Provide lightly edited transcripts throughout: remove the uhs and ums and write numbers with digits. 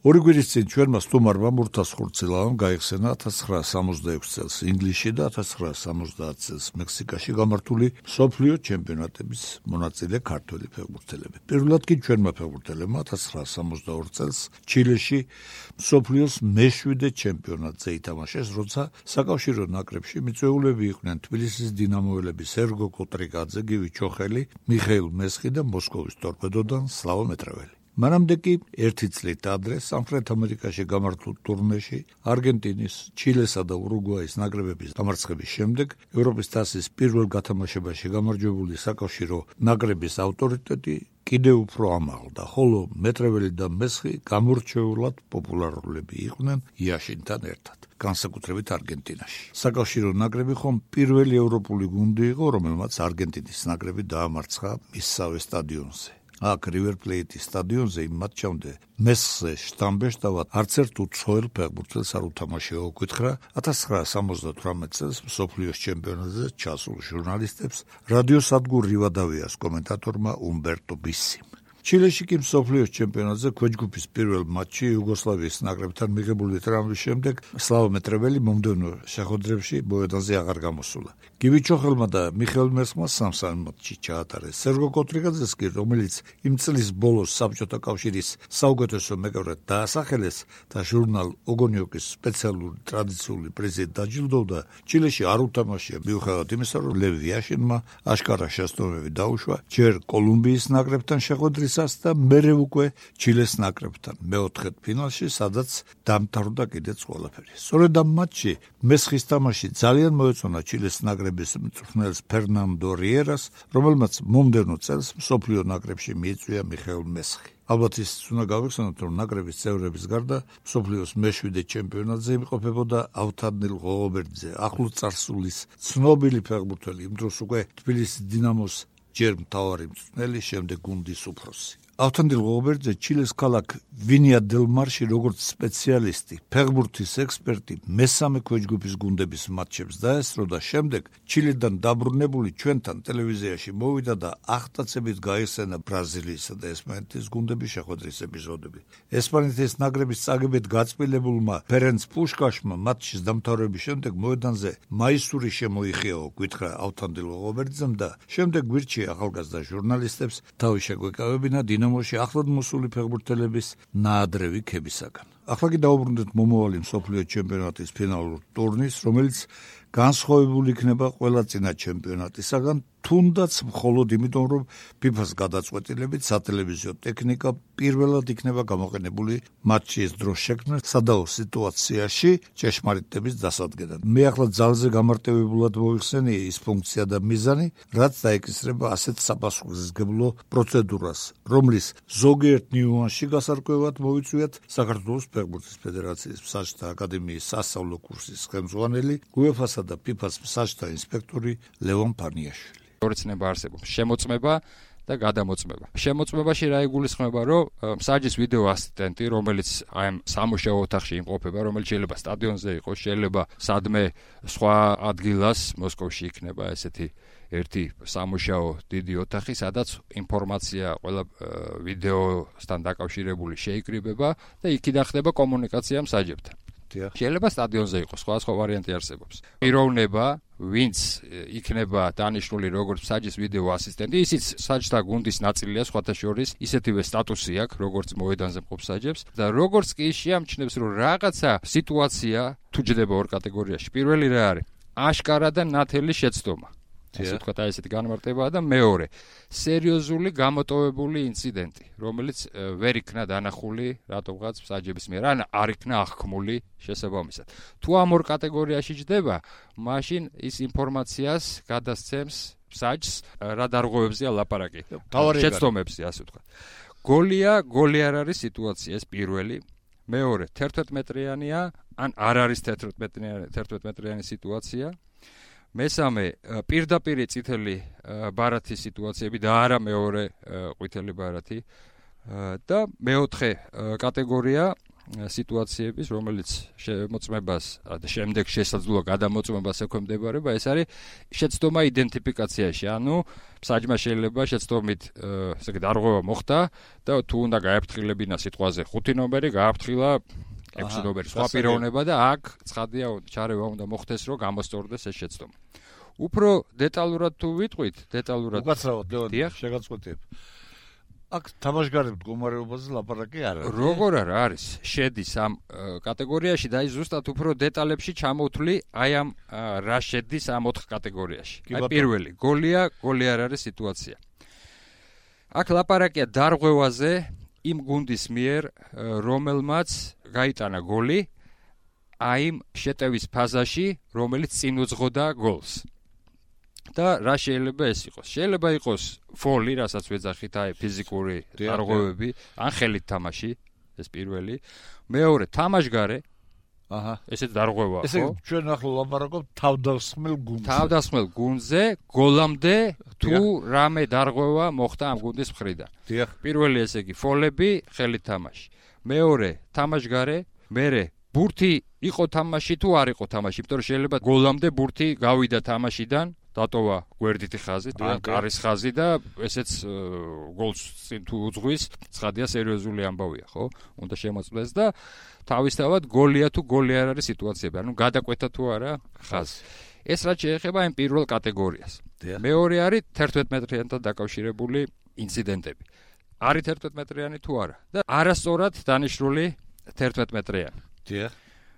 ორი გვირის წინ ჩვენმა სტუმარმა მურთას ხურცილავამ გაიხსენა 1966 წელს ინგლისში და 1970 წელს მექსიკაში გამართული მსოფლიო ჩემპიონატების მონაწილე ქართველი ფეხბურთელები. პირველად კი ჩვენმა ფეხბურთელებმა 1962 წელს ჩილეში მსოფლიოს მე-7 ჩემპიონატზე ითამაშეს, როცა საკავშირო ნაკრებში მიწვეულები იყვნენ თბილისის დინამოელები სერგო კოტრიკაძე, გივი ჩოხელი, მიხეილ მესხი და მოსკოვის ტორპედოდან სლავო მეტრეველი. მანამდე კი ერთი წლით ადრე სამხრეთ ამერიკაში გამართულ ტურნეში არგენტინის, ჩილესა და ურუგვაის ნაკრებების დამარცხების შემდეგ ევროპის თასის პირველ გათამაშებაში გამარჯვებული საკავშირო ნაკრების ავტორიტეტი კიდევ უფრო ამაღლდა, ხოლო მეტრეველი და მესხი გამორჩეულად პოპულარულები იყვნენ იაშინთან ერთად, განსაკუთრებით არგენტინაში. საკავშირო ნაკრები ხომ პირველი ევროპული გუნდი იყო, რომელმაც არგენტინის ნაკრები დაამარცხა მისსავე სტადიონზე. აქ რივერ პლეიტის სტადიონზე იმ მატჩამდე მესხზე შტამბეშტავად არც ერთ უცხოელ ფეხბურთელს არ უთამაშეო უკითხა 1978 წელს მსოფლიოს ჩემპიონატზე ჩასულ ჟურნალისტებს რადიოსადგურ რივადავიას კომენტატორმა უმბერტო ბისიმ. ჩილეში კი მსოფლიოს ჩემპიონატზე ქვეჯგუფის პირველ მატჩში იუგოსლავიის ნაკრებთან მიღებული ტრამვის შემდეგ სლავო მეტრეველი მომდევნო შეხვედრებში მოედანზე აღარ გამოსულა. გივი ჩოხელმა და მიხეილ მესხმა სამ მატჩში ჩაატარეს. სერგო კოტრიკაძეს კი, რომელიც იმ წლის ბოლოს საბჭოთა კავშირის საუკეთესო მეკობრედ დაასახელეს და ჟურნალ ოგონიოკის სპეციალური ტრადიციული პრიზით დაჯილდოვდა, ჩილეში არ უთამაშია მიუხედავად იმისა, რომ ლევ იაშინმა აშკარა შეცდომები დაუშვა ჯერ კოლუმბიის ნაკრებთან შეხვედრისას და მერე უკვე ჩილეს ნაკრებთან მეოთხედ ფინალში, სადაც დამთავრდა კიდეც ყველაფერი. სწორედ ამ მატჩში მესხის თამაში ძალიან მოეწონა ჩილეს ნაკრების მწვრთნელს ფერნანდო რიერას, რომელმაც მომდევნო წელს მსოფლიო ნაკრებში მიიწვია მიხეილ მესხი. ალბათ ის უნდა გავიხსენოთ, რომ ნაკრების წევრების გარდა მსოფლიოს მე-7 ჩემპიონატზე იმყოფებოდა ავთანდილ ღოღობერძე, ახლო წარსულის ცნობილი ფეხბურთელი, იმ დროს უკვე თბილისის დინამოს ჯერ მთავარი მწვრთნელი, შემდეგ გუნდის უფროსი. ავთანდილ ღოღობერძე ჩილეს ქალაქ ვინია დელ მარში როგორც სპეციალისტი, ფეხბურთის ექსპერტი მესამე ქვეჯგუფის გუნდების მატჩებს დაესწრო და შემდეგ ჩილედან დაბრუნებული ჩვენთან ტელევიზიაში მოვიდა და ახტაცებით გაიხსენა ბრაზილიისა და ესპანეთის გუნდების შეხვედრის ეპიზოდები. ესპანეთის ნაკრების წაგებით გაწმილებულმა ფერენც პუშკაშმა მატჩის დამთავრების შემდეგ მოედანზე მაისური შემოიხიაო, გითხრა ავთანდილ ღოღობერძემ და შემდეგ გვირჩია ახალგაზრდა ჟურნალისტებს თავი შეგვეკავებინა დინამოში ახლად მოსული ფეხბურთელების ნაადრევი ქებისაგან. ახლა კი დაუბრუნდეთ მომავალი მსოფლიო ჩემპიონატის ფინალურ ტურნირს, რომელიც განსხვავებული იქნება ყველა წინა ჩემპიონატისაგან, თუნდაც მხოლოდ იმიტომ, რომ FIFA-ს გადაწყვეტილებით სატელევიზიო ტექნიკა პირველად იქნება გამოყენებული მატჩის დროს შექმნილ სადაო სიტუაციაში ჭეშმარიტების დასადგენად. მე ახლა ძალზე გამარტივებულად მოიხსენიე ის ფუნქცია და მიზანი, რაც დაეკისრება ასეთ საპასუხისმგებლო პროცედურას, რომლის ზოგიერთ ნიუანსში გასარკვევად მოვიწვიათ საქართველოს ფეხბურთის ფედერაციის მსაჯთა აკადემიის სასწავლო კურსის ხელმძღვანელი, UEFA-სა და FIFA-ს მსაჯთა ინსპექტორი ლევონ ფანიაშვილი. ორი ცნება არსებობს: შემოწმება და გადამოწმება. შემოწმებაში რა იგულისხმება, რომ მსაჯის ვიდეო ასისტენტი, რომელიც აი ამ სამუშაო ოთახში იმყოფება, რომელიც შეიძლება სტადიონზე იყოს, შეიძლება სადმე სხვა ადგილას მოსკოვში იქნება ესეთი ერთი სამუშაო დიდი ოთახი, სადაც ინფორმაცია ყველა ვიდეოსთან დაკავშირებული შეიკრიბება და იქიდან ხდება კომუნიკაცია მსაჯებთან. შეიძლება სტადიონზე იყოს, სხვა ვარიანტი არსებობს. პიროვნება, ვინც იქნება დანიშნული როგორც მსაჯის ვიდეო ასისტენტი, ისიც მსაჯთა გუნდის ნაწილია, სხვათა შორის ისეთივე სტატუსი აქვს, როგორც მოედანზე მყოფ მსაჯებს და როგორც კი შეამჩნევს, რომ რაღაცა სიტუაცია თუ ჯდება ორ კატეგორიაში. პირველი რა არის? აშკარა და ნათელი შეცდომა. ასე ვთქვათ, ესეთი განმარტებაა და მეორე, სერიოზული გამოტოვებული ინციდენტი, რომელიც ვერ იქნა დანახული რატომღაც მსაჯების მიერ, ან არ იქნა აღქმული შესაბამისად. თუ ამ ორ კატეგორიაში ჯდება, მაშინ ის ინფორმაციას გადასცემს მსაჯს, რა დარღვევებზეა ლაპარაკი, შეცდომებზე, ასე ვთქვათ. გოლი არ არის სიტუაცია, ეს პირველი. მეორე, 11 მეტრიანია, ან არ არის 11 მეტრიანი სიტუაცია. მესამე, პირდაპირი წითელი ბარათის სიტუაციები და არა მეორე ყვითელი ბარათი. და მეოთხე კატეგორია სიტუაციების, რომელიც შემოწმებას და შემდეგ შესაძლოა გადამოწმებას ექვემდებარება, ეს არის შეცდომა იდენტიფიკაციაში. ანუ საჯმა შეიძლება შეცდომით ესე იგი დარღვევა მოხდა და თუ უნდა გააფრთხილებინა სიტყვაზე 5 ნომერი, გააფრთხილა 6 ნომერი. სხვა პიროვნება და აქ ცხადია ჩარევა უნდა მოხდეს, რომ გამოსწორდეს ეს შეცდომა. უფრო დეტალურად თუ ვიტყვით, უკაცრავად ლეონიდ, შეგაწყვეტიებ. აქ თამაშგარების მდგომარეობაზე ლაპარაკი არ არის. როგორ არის? შედის ამ კატეგორიაში და აი ზუსტად უფრო დეტალებში ჩამოვთვლი, აი ამ რა შედის ამ 4 კატეგორიაში. აი პირველი, გოლი არ არის სიტუაცია. აქ ლაპარაკია დარღვევაზე იმ გუნდის მიერ, რომელმაც გაიტანა გოლი აი იმ შეტევის ფაზაში, რომელიც წინ უძღოდა გოლს. და რა შეიძლება ეს იყოს? შეიძლება იყოს ფოლი, რასაც ვეძახით, აი ფიზიკური დარღვევები, ან ხელით თამაში, ეს პირველი. მეორე, თამაშგარე. ესეც დარღვევა, ხო? ესე ჩვენ ახლა ლაპარაკობთ თავდასხმელ გუნდზე. თავდასხმელ გუნდზე გოლამდე თუ რამე დარღვევა მოხდა ამ გუნდის მხრიდან. პირველი ესე იგი ფოლები, ხელით თამაში. მეორე, თამაშგარე, მერე ბურთი იყო თამაში თუ არ იყო თამაში, იმიტომ რომ შეიძლება გოლამდე ბურთი გავიდა თამაშიდან, დატოვა გვერდითი ხაზი, ან კარის ხაზი და ესეც გოლს წინ თუ უძღვის, ცხადია სერიოზული ამბავია, ხო? უნდა შემოწმდეს და თავისთავად გოლია თუ გოლი არ არის სიტუაციები, ანუ გადაკვეთა თუ არა ხაზი. ეს რაც შეეხება იმ პირველ კატეგორიას. მეორე არის 11 მეტრიანთან დაკავშირებული ინციდენტები. არის 11 მეტრიანი თუ არა და არასწორად დანიშნული 11 მეტრიანი.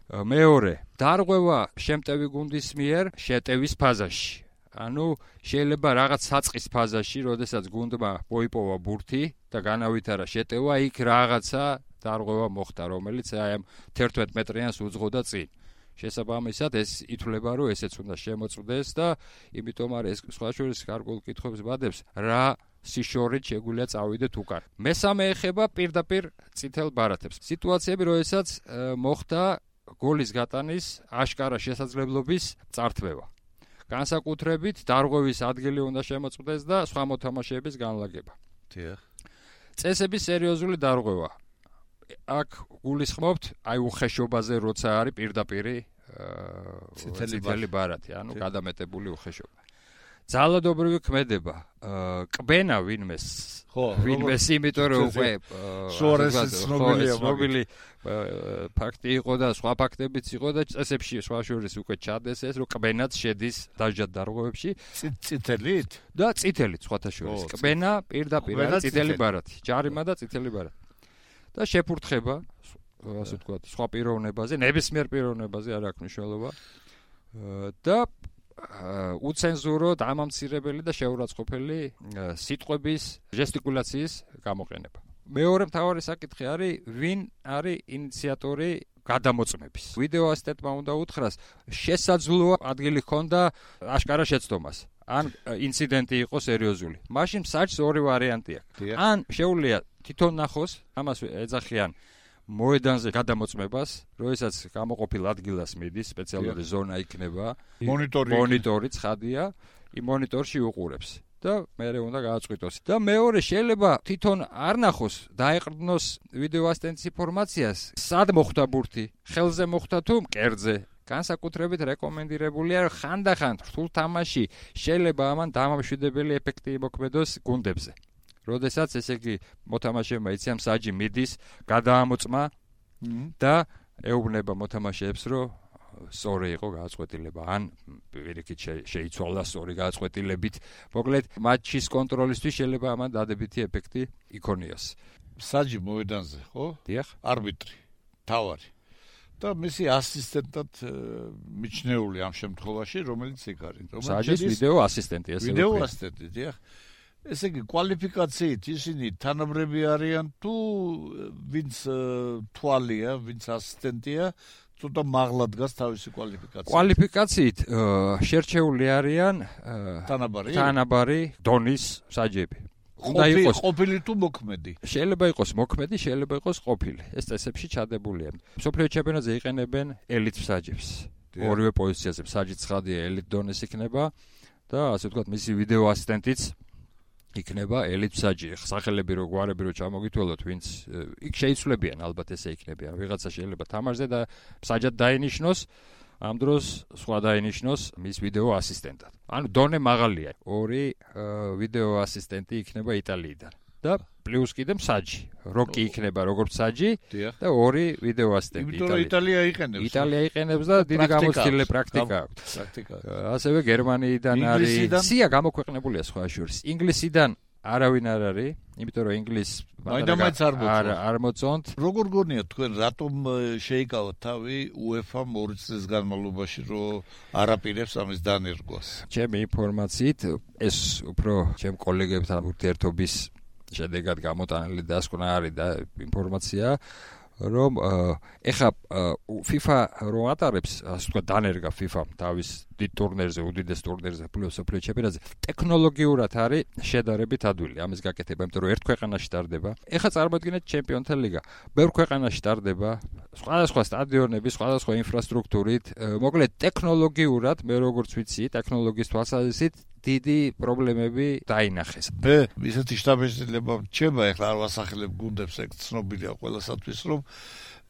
მეორე, დარღვევა შემტევი გუნდის მიერ შეტევის ფაზაში. ანუ შეიძლება რაღაც საწყის ფაზაში, როდესაც გუნდმა მოიპოვა ბურთი და განავითარა შეტევა, იქ რაღაცა დარღვევა მოხდა, რომელიც აი ამ 11 მეტრიანს უძღოდა წინ. შესაბამისად, ეს ითვლება, რომ ესეც უნდა შემოწმდეს და იმიტომ არის ეს სხვა შორის გარკვეულ კითხვებს ვადებს, რა სიშორით შეგვიძლია წავიდეთ უკან. მესამე ეხება პირდაპირ წითელ ბარათებს. სიტუაციები, როდესაც მოხდა გოლის გატანის აშკარა შესაძლებლობის წართვევა. განსაკუთრებით დარღვევის ადგილი უნდა შემოწმდეს და სხვა მოთამაშეების განლაგება. წესების სერიოზული დარღვევა. აქ გულისხმობთ აი უხეშობაზე, როცა არის პირდაპირი წითელი ბარათი, ანუ გადამეტებული უხეშობა. ძალადობრივი ქმედება, კბენა ვინმეს, იმიტომ რომ უკვე ცნობილი ფაქტი იყო და სხვა ფაქტებიც იყო და წესებში სხვა შორის უკვე ჩადეს ეს, რომ კბენაც შედის დაჟად დარღვევებში. წითელით? და წითელით სხვათა შორის. კბენა პირდაპირ არის წითელი ბარათი, ჯარიმა და წითელი ბარათი. და შეფურთხება, ასე ვთქვათ, სხვა პიროვნებაზე, ნებისმიერ პიროვნებაზე არ აქვს მნიშვნელობა. და უცენზურო, დამამცირებელი და შეურაცხყოფელი სიტყვების, ჟესტიკულაციის გამოყენება. მეორე მთავარი საკითხი არის, ვინ არის ინიციატორი გადამოწმების. ვიდეო ასისტენტმა უნდა უთხრას, შესაძლოა ადგილი ჰქონდა აშკარა შეცდომას. ან ინციდენტი იყო სერიოზული. მაშინ საჭს ორი ვარიანტი აქვს. ან შეუძლია თვითონ ნახოს, ამას ეძახიან მოედანზე გადამოწმებას, როდესაც გამოყოფილ ადგილას მიდის, სპეციალური ზონა იქნება, მონიტორი ცხადია, იმ მონიტორში უყურებს და მერე უნდა გააწყვიტოს. და მეორე შეიძლება თვითონ არ ნახოს, დაეყრდნოს ვიდეო ასისტენტის ინფორმაციას, სად მოხდა ბურთი, ხელზე მოხდა თუ მკერდზე. განსაკუთრებით რეკომენდირებულია, რომ ხანდახან რთულ თამაში შეიძლება ამან დამამშვიდებელი ეფექტი იმოქმედოს გუნდებზე. როდესაც ესე იგი მოთამაშეებმა იციან საჯი მიდის, გადაამოწმა და ეუბნება მოთამაშეებს, რომ სწორი იყო გააწყვეტილება, ან პირიქით შეიცვალა სწორი გააწყვეტილებით. მოკლედ, მატჩის კონტროლისთვის შეიძლება ამან დადებითი ეფექტი იქონიოს. საჯი მოედანზე, ხო? დიახ. არბიტრი, თავარი. და მისი ასისტენტად მიჩნეული ამ შემთხვევაში, რომელიც იქ არის. საჯის ვიდეო ასისტენტი, ესე ვთქვი. ვიდეო ასისტენტი, დიახ. ესე იგი კვალიფიკაციით ისინი თანაბრები არიან თუ ვინც თვალია, ვინც ასისტენტია, ცოტა მაღლა დგას თავისი კვალიფიკაცია. კვალიფიკაციით შერჩეული არიან თანაბარი დონის საჯები. უნდა იყოს ყოფილი თუ მოქმედი. შეიძლება იყოს მოქმედი, შეიძლება იყოს ყოფილი. ეს წესებში ჩადებულია. მსოფლიო ჩემპიონატზე იყენებენ ელიტ საჯებს. ორივე პოზიციაზე საჯი ცხადია ელიტ დონის იქნება და ასე ვთქვათ, მისი ვიდეო ასისტენტიც იქნება ელიტსაჯი, სახელები რო გვარები რო ჩამოგითვალოთ, ვინც იქ შეიცვლებიან, ალბათ ესე იქნებიან. ვიღაცა შეიძლება თამაშზე და მსაჯად დაინიშნოს, ამ დროს სხვა დაინიშნოს მის ვიდეო ასისტენტად. ანუ დონე მაღალია. 2 ვიდეო ასისტენტი იქნება იტალიიდან. და პლუს კიდე მსაჯი. როკი იქნება როგორც მსაჯი და 2 ვიდეო ასისტენტი იტალიიდან. იტალია იყენებს და დიდი გამოცდილებული პრაქტიკა აქვს. ასევე გერმანიიდან არის. სია გამოქვეყნებულია სხვა შორის. ინგლისიდან არავინ არ არის, იმიტომ რომ ინგლისს არ მოწონთ. როგორ გონიათ თქვენ რატომ შეიკავათ თავი UEFA-მ 2 წლის განმავლობაში რომ არაპირებს ამის დანერგვას? ჩემი ინფორმაციით ეს უფრო ჩემ კოლეგებთან ურთიერთობის შედეგად გამოტანილი დასკვნა არის და ინფორმაცია რომ ეხა FIFA რომ ატარებს, ასე ვთქვათ, დანერგა FIFA თავის დიდ ტურნირზე, უდიდეს ტურნირზე, მსოფლიო ჩემპიონატზე, ტექნოლოგიურად არის შედარებით ადვილი ამის გაკეთება, იმიტომ რომ ერთ ქვეყანაში ტარდება. ეხა წარმოიდგინეთ ჩემპიონთა ლიგა. ბევრ ქვეყანაში ტარდება, სხვადასხვა სტადიონები, სხვადასხვა ინფრასტრუქტურით, მოკლედ ტექნოლოგიურად, მე როგორც ვიცი, ტექნოლოგიის თვალსაზრისით დიდი პრობლემები დაინახეს. ისეთი შტაბ-შეძლება რჩება, ეხლა არ ვასახელებ გუნდებს, ეგ ცნობილია ყველასათვის, რომ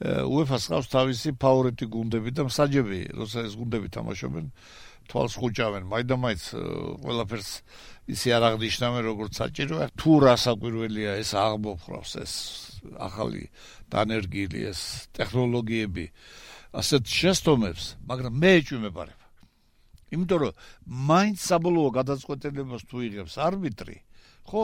UEFA-ს ყავს თავისი ფავორიტი გუნდები და მსაჯები, როცა ეს გუნდები თამაშობენ, თვალს ხუჭავენ, მაინდა-მაინც ყველაფერს ისე არ აღნიშნავენ, როგორც საჭიროა. თუ რა საკვირველია ეს აღმოფხვრავს, ეს ახალი დანერგილი, ეს ტექნოლოგიები, ასეთ შეცდომებს, მაგრამ მე ეჭვმეპარებ. იმიტომ რომ მაინც საბოლოო გადაწყვეტილებას თუ იღებს არბიტრი, ხო,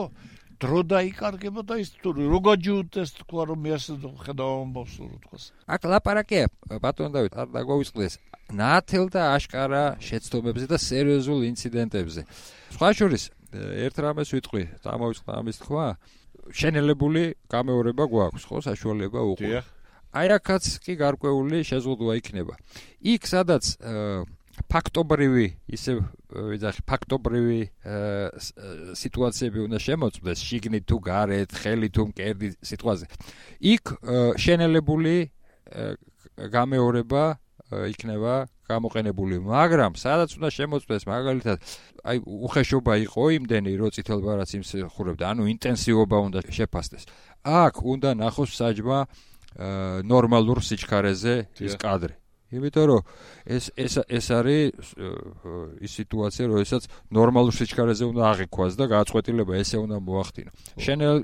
დრო დაიკარგება და ის თუ რო გაჯუდეს თქვა რომ მე ასე ხედავ ამბავს რო თქვას. აქ ლაპარაკია ბატონ დავით არ დაგვაუწყდეს ნათელ და აშკარა შეცდომებზე და სერიოზულ ინციდენტებზე. სხვა შორის ერთ რამეს ვიტყვი, დამოვიწყდა ამის თქვა, შენელებული გამეორება გვაქვს, ხო, საშუალება უყურებ. აი აქაც კი გარკვეული შეზღუდვა იქნება. იქ სადაც ფაქტობრივი ისე ვიძახი ფაქტობრივი სიტუაციები უნდა შემოწმდეს შიგნით თუ გარეთ, ხელით თუ მკერდით სიტყვაზე. იქ შენელებული გამეორება იქნება გამოყენებული, მაგრამ სადაც უნდა შემოწმდეს მაგალითად აი უხეშობა იყო იმდენი რომ წითელ ბარათს იმსახურებდა, ანუ ინტენსივობა უნდა შეფასდეს. აქ უნდა ნახოს საჯმა ნორმალურ სიჩქარეზე ის კადრი. იმიტომ რომ ეს არის ის სიტუაცია, როდესაც ნორმალურ სიჩქარეზე უნდა აღიქვას და გააწყვეტილება ესე უნდა მოახდინო.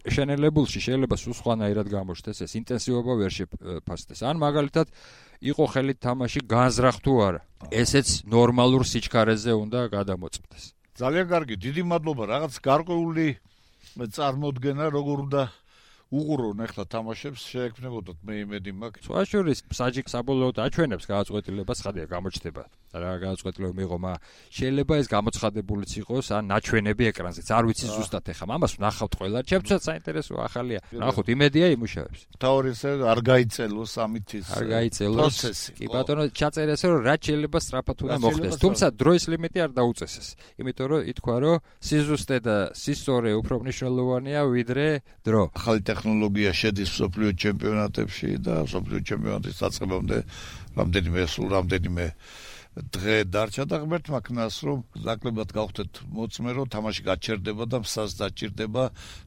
შენელებულში შეიძლება სულ სხვანაირად გამოჩნდეს ეს ინტენსივობა ვერ შეფასდეს. ან მაგალითად იყო ხელით თამაში განზრახ თუ არა. ესეც ნორმალურ სიჩქარეზე უნდა გადამოწმდეს. ძალიან კარგი, დიდი მადლობა. რაღაც გარკვეული წარმოდგენა როგორ უნდა უყურონ ახლა თამაშებს შეექმნებოდათ მე იმედი მაქვს. სხვა შორის მსაჯი საბოლოოდ აჩვენებს გააწყვეტილებას, ხადია გამოჩნდება. რა გააწყვეტილება მიიღო, შეიძლება ეს გამოცხადებულიც იყოს ან ნაჩვენები ეკრანზეც. არ ვიცი ზუსტად ეხლა ამას ვნახავთ ყველა. ჩემთვისაც საინტერესო ახალია. ნახოთ, იმედია იმუშავებს. თავი ესე არ გაიწელოს ამითის პროცესი. კი ბატონო, ჩაწერეს რომ რაც შეიძლება სწრაფად უნდა მოხდეს. თუმცა დროის ლიმიტი არ დაუწესეს. იმიტომ რომ ითქვა რომ სიზუსტე და სისწორე უფრო მნიშვნელოვანია ვიდრე დრო. ახალი ტექნოლოგია შედის მსოფლიო ჩემპიონატებში და მსოფლიო ჩემპიონატის დაწყებამდე რამდენიმე დღე დარჩა და ღმერთმა ქნას რომ ნაკლებად გავხდეთ მოწმე რომ თამაში გაჩერდება და მსას დაჭირდება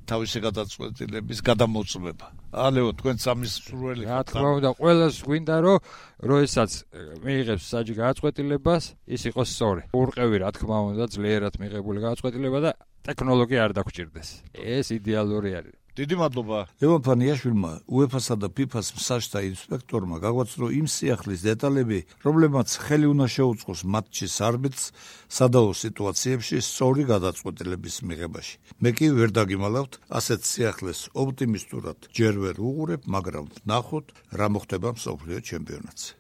თავისი გადაწყვეტილების გადამოწმება. ალეო თქვენ სამის სურველი რა თქმა უნდა ყველას გვინდა რომ როდესაც მიიღებს საჯი გადაწყვეტილებას ის იყოს სწორი. ურყევი რა თქმა უნდა ძლიერად მიღებული გადაწყვეტილება და ტექნოლოგია არ დაგჭირდეს. ეს იდეალური არის. დიდი მადლობა. ლევან ფანიაშვილმა UEFA-სა და FIFA-ს მსაჯთა ინსპექტორმა გაგვაცნო იმ სიახლის დეტალები, რომლებმაც ხელი უნდა შეუწყოს მატჩის არბიტრს სადაო სიტუაციებში სწორი გადაწყვეტილების მიღებაში. მე კი ვერ დაგიმალავთ ასეთ სიახლეს ოპტიმისტურად ჯერ ვერ უყურებ, მაგრამ ვნახოთ რა მოხდება მსოფლიო ჩემპიონატზე.